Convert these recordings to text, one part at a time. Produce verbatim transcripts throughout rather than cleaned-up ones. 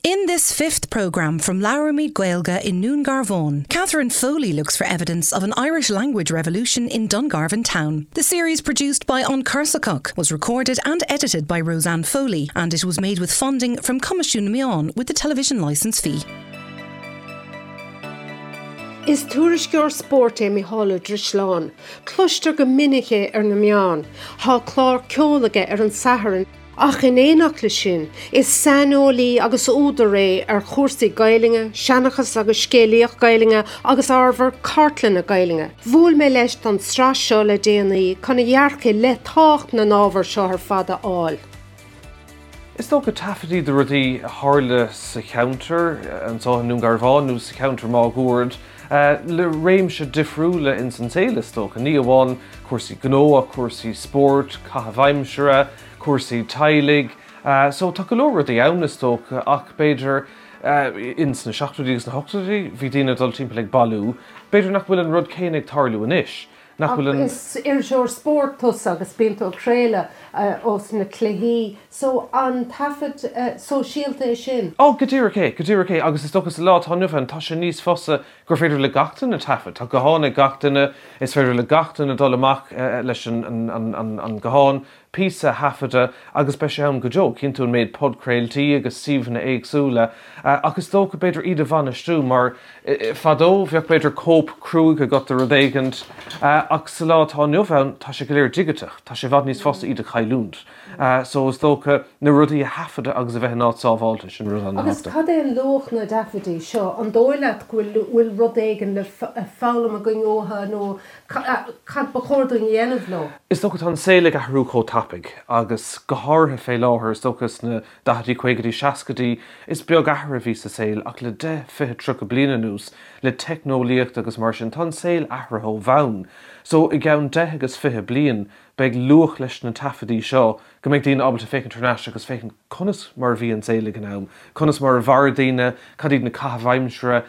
In this fifth programme from Labhraímid Gaeilge in Dún Garbhán, Catherine Foley looks for evidence of an Irish language revolution in Dungarvan town. The series produced by An Corsacoch was recorded and edited by Roseanne Foley and it was made with funding from Coimisiún na Meán with the television licence fee. Is tuairisceoir spóirt é Mícheál Ó Drisleáin, Cloistear go minic é ar na meáin, Tá clár ceoil aige ar an Satharn ach in éineacht leis sin, is saineolaí agus údar é ar chúrsaí Gaeilge, seanchas agus scéalaíocht Gaeilge agus ábhar cartlainne Gaeilge. Bhuail mé leis don tsraith seo le déanaí chun a dhearcadh le tábhacht na n-ábhar seo ar fad a fháil. Is dócha taifeadtaí de rudaí a tharla sa cheantar anseo i nDún Garbhán nó sa cheantar máguaird le réimse difriúla in san saol is dócha. Ní amháin cúrsaí gnó cúrsaí spóirt, caitheamh aimsire, cúrsaí teaghlaigh, so tá go leor rudaí ann is dócha ach b'fhéidir in sna seachtóidí agus na hochtóidí bhí daoine dul timpeall ag bailiú, B'fhéidir nach bhfuil an rud céanna ag tarlú anois. Nach bhfuil an Is iriseoir spóirt tusa agus bíonn tú ag craoladh ós na cluichí, so an taifead sóisialta é sin. Ó go díreach é, go díreach é agus is dócha sa lá atá inniu ann tá sé níos fusa gur féidir le gach duine taifead. Tá guthán ag gach duine is féidir le gach duine dul amach leis an, an, an, an, an guthán, píosa a thaifeadadh agus beidh sé ann go deo, cinntiú an méid podchraoltaí agus suíomhanna éagsúla, ach is dócha b'fhéidir iad a bhainistiú mar fadó bheadh b'fhéidir cóip cruaidh agat de rud éigint ach sa lá atá inniu ann tá sé go léir digiteach, tá sé i bhfad níos fusa iad a chailliúint. So is dócha na rudaí a thaifeadadh agus a bheith in áit sábháilte sin rud Agus cad é an luach na dtaifeadtaí seo an dóigh leat go bhfuil rud éigin le foghlaim againn uathu nó cad ba chóir dúinn a dhéanamh leo? Is dócha tá an saol ag athrú chomh tapaidh agus go háirithe fé láthair is dócha sna daichidí caogaidí seascaidí is beag athrú a bhí sa saol ach le deich fiche tríocha bliain anuas le teicneolaíocht agus mar sin tá an saol athraithe ó bhonn. So i gceann deich agus fiche bliain beidh luach leis na taifeadtaí seo go mbeidh daoine ábalta féachaint thar n-ais agus féachaint conas mar bhí an saol ag an am, conas mar a mhair daoine, cad iad na caithimh aimsire,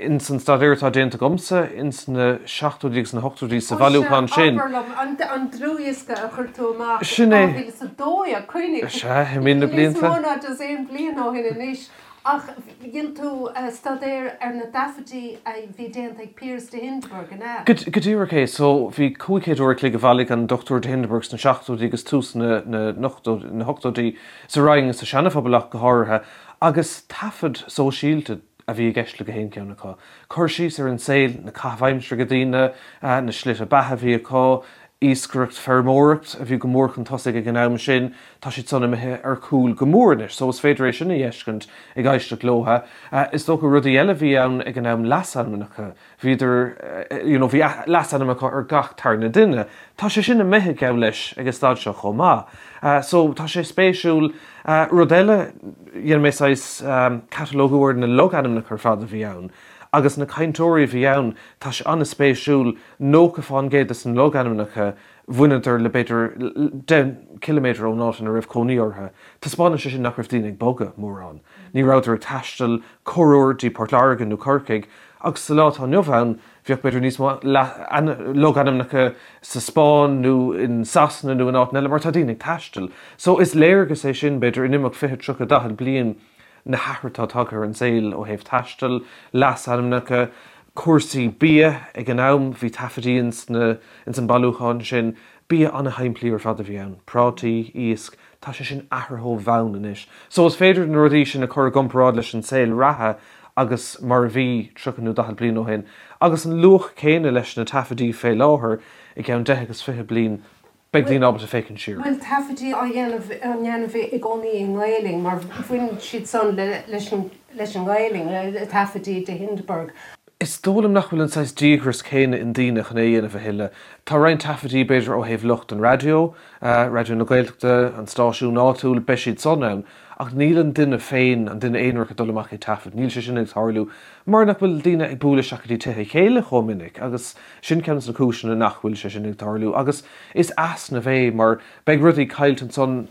in san staidéar atá déanta agamsa ins na seachtóidí agus na hochtóidí sa bhailiúchán sin. An an dlúthdhiosca a chuir tú amach Sin é. sa dóigh cuimhnigh. Sea, imíonn na blianta. Níos mó ná just aon bliain ó shin anois. Ach dhein tú staidéar ar na taifeadtaí a bhí déanta ag Piaras de Hindeberg an ea? Go díreach é, so bhí cúig chéad uair a chloig a bhailigh an Dr de Hindeberg sna seachtóidí agus tús na na hochtóidí sa Rinn sa Seana-Phobal ach go háirithe, agus taifead sóisialta a bhí i gceist le gach aon cheann acu. Cur síos ar an saol, na caithimh aimsire ag daoine, na slite beatha a bhí acu, iascaireacht feirmeoireacht a bhí go mór chun tosaigh ag an am sin, tá siad san imithe ar cúl go mór anois, so is féidir é sin a fheiscint ag éisteacht leo. Is dócha rudaí eile bhí ann ag an am leasainmneacha, bhíodar you know bhí leasainm acu ar gach tarna duine. Tá sé sin imithe geall leis ag an staid seo chomh maith. So tá sé spéisiúil. Rud eile, dhein mé saghas catalógú ar na logainmneacha ar fad a bhí ann. Agus na cainteoirí a bhí ann, tá sé an-spéisiúil, nócha fán gcéad de na logainmneacha bhaineadar le b'fhéidir deich ciliméadar ón áit ina raibh cónaí orthu. Taispeánann sé sin nach raibh daoine ag bogadh mórán. Ní rabhadar ag taisteal corruair dtí Port Láirge nó Corcaigh, agus sa lá atá inniu ann, bheadh b'fhéidir níos mó logainmneacha sa Spáinn nó in Sasana nó in áit eile mar tá daoine ag taisteal. So is léargas é sin b'fhéidir in imeacht fiche, tríocha, daichead bliain na hathruithe atá tagtha ar an saol ó thaobh taistil, leasainmneacha, cúrsaí bia ag an am, bhí taifeadtaí ins na ins an bailiúchán sin, bia an-shimplí ar fad a bhí ann, prátaí, iasc, tá sé sin athraithe ó bhonn anois. So is féidir na rudaí sin a chur i gcomparáid leis an saol reatha agus mar a bhí tríocha nó daichead bliain ó shin, agus an luach céanna leis na taifeadtaí fé láthair i gceann deich agus fiche bliain, beidh daoine ábalta féachaint siar. Bhfuil taifeadtaí á dhéanamh á ndéanamh i gcónaí i nGaelainn mar bhain siad san leis an leis an nGaelainn, taifeadtaí de Hindeberg. Is dóigh liom nach bhfuil an saghas díograis céanna i ndaoine chun é a dhéanamh a thuilleadh. Tá roinnt taifeadtaí b'fhéidir ó thaobh lucht an raidió, Raidió na Gaeltachta, an stáisiún áitiúil, beidh siad san ann, ach níl an duine féin, an duine aonarach ag dul amach ag taifead, níl sé sin ag tarlú mar nach bhfuil daoine ag bualadh isteach go dtí tithe a chéile chomh minic agus sin ceann de na cúiseanna nach bhfuil sé sin ag tarlú agus is easnamh é mar beidh rudaí caillte ansan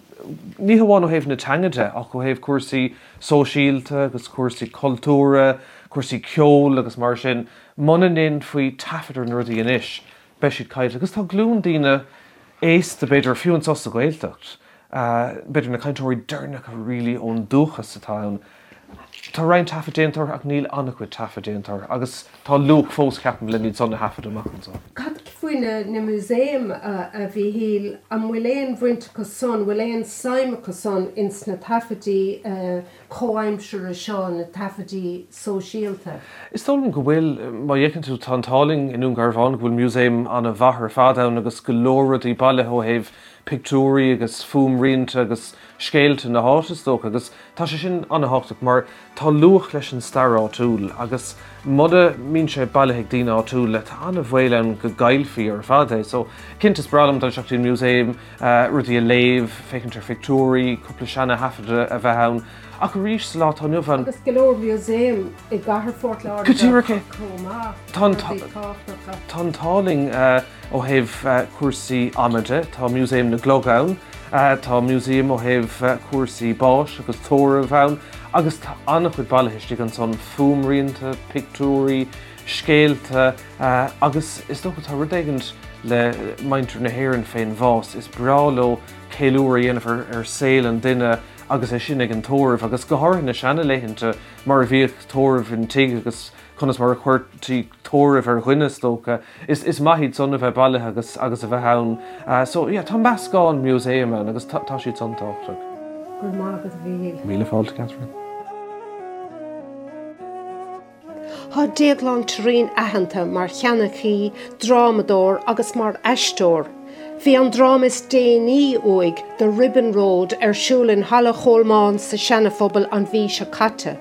ní hamháin ó thaobh na teanga de ach ó thaobh cúrsaí sóisialta agus cúrsaí cultúrtha, cúrsaí ceoil agus mar sin. Muna ndéanfaí taifead ar na rudaí anois beidh siad caillte agus tá glúin daoine aosta b'fhéidir fiú anseo sa Ghaeltacht, b'fhéidir na cainteoirí deireanacha really ón dúchas atá ann, Tá roinnt taifead déanta ach níl an-chuid taifead déanta agus tá luach fós ceapaim le iad san a thaifead amach anseo. Cad faoi na, na músaeim a, a Mhíchíl an bhfuil aon bhaint acu san, bhfuil aon suim acu san ins na taifidí uh, comhaimseartha seo na taifidí sóisialta? Is dóigh liom go bhfuil má fhéachann tú tá an t-ádh linn i nDún Garbhán go bhfuil músaem an-mhaith ar fad ann agus go leor rudaí bailithe ó thaobh pictiúirí agus fuaimrianta agus scéalta na háite is dócha agus tá sé sin an-tábhachtach mar tá luach leis an stair áitiúil agus mura mbíonn sé bailithe ag daoine áitiúla tá an-bhaol ann go gcaillfí ar fad é. So cinnte is breá liom dul isteach an músaem uh, rudaí a léamh, féachaint ar phictiúirí, cúpla seana-thaifead a bheith ann. Ach arís sa lá atá inniu ann. Agus go leor músaem i gcathair Phort Láirge Go díreach é. chomh maith. Tá an rudaí tá- tábhachtacha. Tá an t-ádh linn uh, ó thaobh uh, cúrsaí ama de, tá Músaem na gClog ann, uh, tá músaem ó thaobh uh, cúrsaí báis agus tórraimh ann, agus tá an-chuid bailithe istigh ansan fuaimrianta, pictiúirí, scéalta uh, agus is dócha tá rud éigin le muintir na hÉireann fén bhás is breá leo ceiliúradh a dhéanamh ar, ar saol an duine agus é sin ag an tórramh agus go háirithe na seanlaethanta mar a bhíodh tórramh an tigh agus conas mar a chuirtí tórramh ar dhuine is dócha. Is, is maith iad san a bheith bailithe agus agus a bheith ann. Uh, so yeah, tá meascán músaem ann agus tá, tá siad san tábhachtach. Go raibh maith agat a Mhíchíl. Míle fáilte Catherine. Tá Déaglán Thureen aitheanta mar sheanchaí, drámadóir agus mar aisteoir. Bhí an dráma is déanaí uaidh The Ribbon Road ar siúl in Halla Cholmáin sa Seanaphobal an mhí seo caite.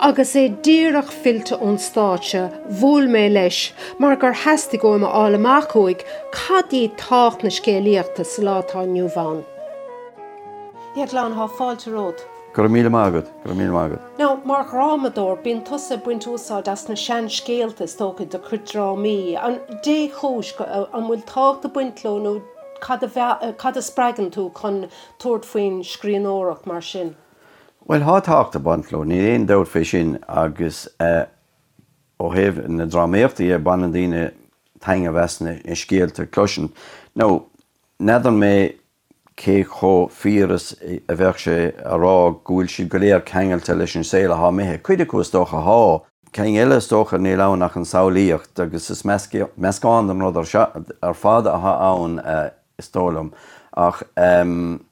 Agus é díreach fillte ón stáitse bhuail mé leis mar gur theastaigh uaim a fháil amach uaidh cad í tábhacht na scéalaíochta sa lá atá inniu ann. Déaglán tá fáilte romhat. Go raibh míle maith agat, go raibh míle maith agat. Now, mar dhrámadóir bíonn tusa ag baint úsáid as na seanscéalta is dócha do chuid drámaí. An dé chóis an bhfuil tábhacht ag baint leo nó cad a bhe- cad a spreagann tú chun tabhairt faoin scríbhneoireacht mar sin. Well tá tábhacht ag baint leo, níl aon dabht fé sin agus uh, ó thaobh na drámaíochta a baineann daoine taitneamh as na scéalta cloiseann. Nó n'fheadar mé cé chomh fíor is a bheadh sé a rá go bhfuil siad go léir ceangailte leis an saol atá imithe. Cuid acu is dócha tá. Ceann eile is dócha níl ann ach an samhlaíocht agus is meascán den rud ar fad atá ann uh, is dóigh liom. Ach um,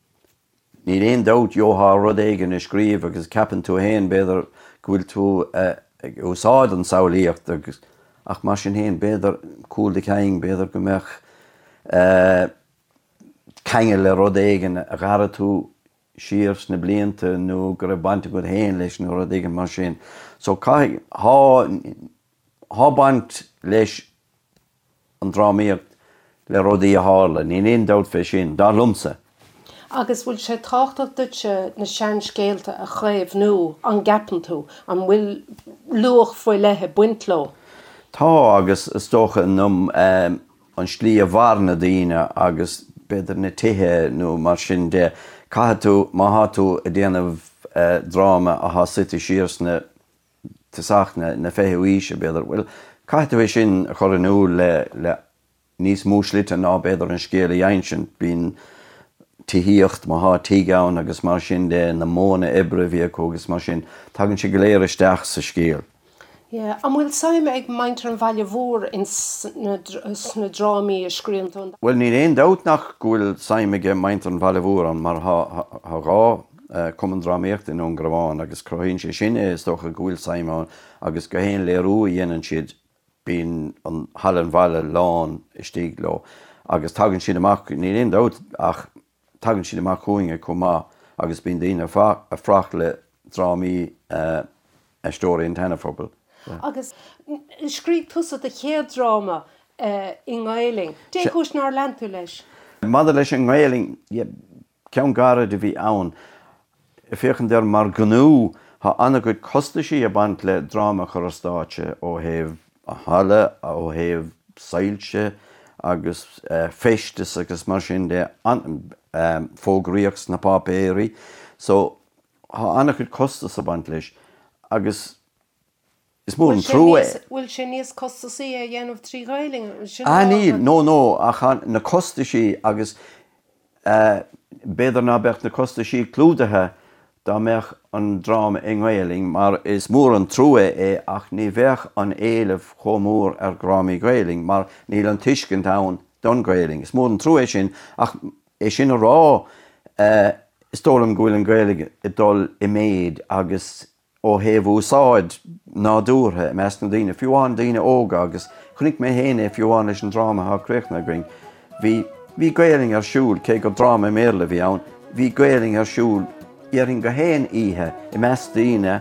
níl aon dabht gheofá rud éigin a scríobh agus ceapann tú féin b'fhéidir go bhfuil tú uh, ag úsáid an samhlaíocht agus ach mar sin féin b'fhéidir cúl do chinn b'fhéidir go mbeadh uh, ceangal le rud éigin a d'airigh tú siar sna blianta nó go raibh baint agat féin leis nó rud éigin mar sin. So caithfidh tá baint leis an drámaíocht le rudaí a tharla, níl aon dabht fé sin, dar liomsa. Agus bhfuil sé tábhachtach duitse na seanscéalta a chaomhnú an gceapann tú an bhfuil luach faoi leith ag baint leo. Tá agus is dócha um, um, an slí a mhair na daoine agus b'fhéidir na tithe nó mar sin de caithfidh tú má tá tú ag déanamh uh, dráma atá suite siar sna tosach na, na fichiú haoise b'fhéidir. Well, caithfidh tú é sin a chur in iúl le, le níos mó slite ná b'fhéidir an scéal a insint bíonn tithíocht má tá tigh ann agus mar sin de na modhanna oibre a bhí acu agus mar sin tagann sé go léir isteach sa scéal. Yeah. An bhfuil suim ag muintir an bhaile mhóir in sna sna drámaí a scríobhann tú? Well níl aon dabht nach go bhfuil suim ag muintir an bhaile mhór ann mar tá dhá cumann drámaíochta i nDún Garbhán agus cruthaíonn sé sin é is dócha go bhfuil suim ann agus gach aon léiriú a dhéanann siad bíonn an halla an bhaile lán istigh leo agus tagann siad amach níl aon dabht ach tagann siad amach chugainne chomh maith agus bíonn daoine ag fanacht le drámaí uh, Aisteoirí an tSeanaphobail. Agus scríobh tusa do chéad dráma uh, i nGaeilge. Dé chúis nár lean tú leis? Maidir leis an nGaeilge ceann gairid a bhí ann. Féachaint air mar ghnó tá an-chuid costaisí ag baint le dráma a chur ar stáitse ó thaobh a halla ó thaobh soilse agus uh, feisteas agus mar sin de an, um, fógraíocht sna páipéirí. So tá an-chuid costas ag baint leis agus is mór an trua é. Bhfuil sé níos costasaí a dhéanamh trí Ghaeilge? Ah níl, no no ach na costaisí agus uh, b'fhéidir ná beadh na costaisí clúdaithe dá mbeadh an dráma i nGaelainn mar is mór an trua é ach ní bheadh an éileamh chomh mór ar dhrámaí Gaelainn mar níl an tuiscint ann don Ghaelainn. Is mór an trua é sin ach é sin a rá eh, is dóigh liom go bhfuil an Ghaeilge ag dul i méid agus ó thaobh úsáid nádúrtha i measc na daoine, fiú amháin daoine óga agus chonaic mé féin é fiú amháin leis an dráma atá críochnaithe againn. Bhí bhí Gaelainn ar siúl cé gur dráma i mBéarla a bhí ann, bhí Gaelainn ar siúl déarfainn gach aon oíche i measc daoine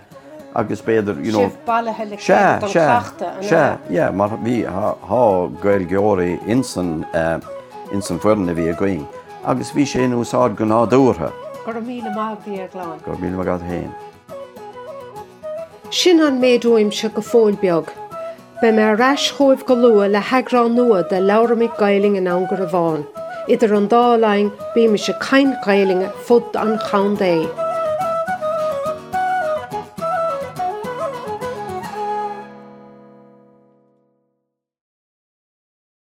agus b'fhéidir you know, Sibh bailithe le Sea, chéile don sea, chleachtadh, an sea, ea? yeah, mar bhí tá Gaeilgeoirí insan uh, insan foireann a bhí againn, agus bhí sé in úsáid go nádúrtha. Go raibh míle maith agat, a Dhéagláin. Go raibh míle maith agat féin. Sin an méid uaimse go fóill beag. Beidh mé ar ais chugaibh go luath le heagrán nua de Labhraímid Gaelainn i nDún Garbhán. Idir an dá linn bímis ag caint Gaelainne fud an chontae.